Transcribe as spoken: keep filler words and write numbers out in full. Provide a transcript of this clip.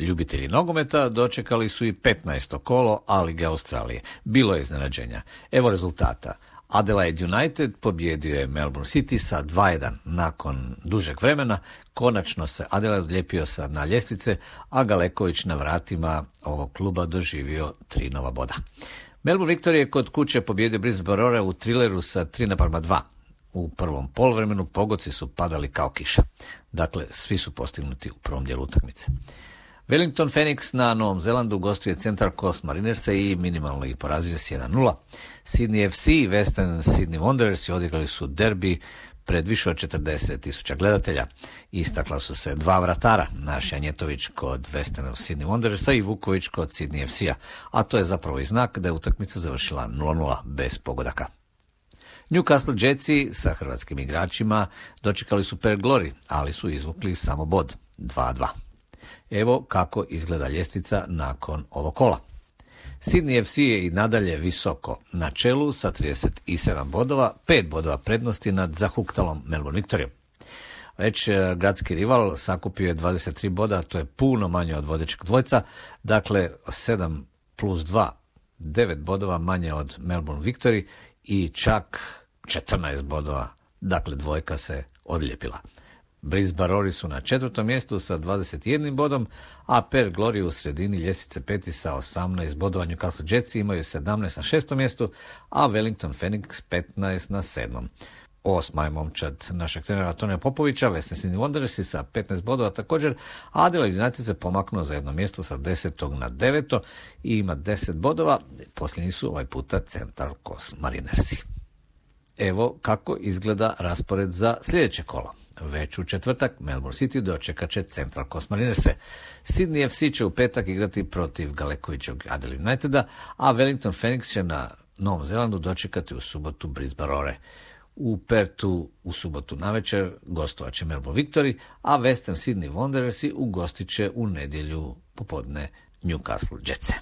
Ljubitelji nogometa dočekali su i petnaesto kolo A lige Australije. Bilo je iznenađenja. Evo rezultata. Adelaide United pobjedio je Melbourne City sa dva jedan. Nakon dužeg vremena konačno se Adelaide odlijepio sa dna ljestvice, a Galeković na vratima ovog kluba doživio tri nova boda. Melbourne Victory je kod kuće pobjedio Brisbane Roar u Trilleru sa tri naprama dva. U prvom poluvremenu pogoci su padali kao kiša. Dakle, svi su postignuti u prvom dijelu utakmice. Wellington Phoenix na Novom Zelandu gostuje Central Coast Marinerse i minimalno ih porazio s jedan nula. Sydney F C i Western Sydney Wanderers odigrali su derbi pred više od četrdeset tisuća gledatelja. Istakla su se dva vratara, naš Janjetović kod Western Sydney Wanderersa i Vuković kod Sydney F C-a, a to je zapravo i znak da je utakmica završila nula nula bez pogodaka. Newcastle Jetsi sa hrvatskim igračima dočekali su Perth Glory, ali su izvukli samo bod dva dva. Evo kako izgleda ljestvica nakon ovog kola. Sydney F C je i nadalje visoko na čelu sa trideset sedam bodova, pet bodova prednosti nad zahuktalom Melbourne Victoryom. Već gradski rival sakupio je dvadeset tri boda, to je puno manje od vodećeg dvojca, dakle sedam plus dva, devet bodova manje od Melbourne Victory i čak četrnaest bodova, dakle dvojka se odlijepila. Brisbane Roar su na četvrtom mjestu sa dvadeset jednim bodom, a Perth Glory u sredini ljestvice peti sa osamnaest bodova. Newcastle Jetsi imaju sedamnaest na šestom mjestu, a Wellington Phoenix petnaest na sedmom. Osma je momčad našeg trenera Tonija Popovića, Western Sydney Wanderers sa petnaest bodova također, a Adelaide United se pomaknuo za jedno mjesto sa desetog na deveto i ima deset bodova. Posljednji su ovaj puta Central Coast Marinersi. Evo kako izgleda raspored za sljedeće kolo. Već u četvrtak Melbourne City dočekat će Central Coast Marinerse. Sydney F C će u petak igrati protiv Galekovićog Adelaide Uniteda, a Wellington Phoenix će na Novom Zelandu dočekati u subotu Brisbane Roar. U Pertu u subotu navečer gostovat će Melbourne Victory, a Western Sydney Wanderersi ugostit će u nedjelju popodne Newcastle Jetse.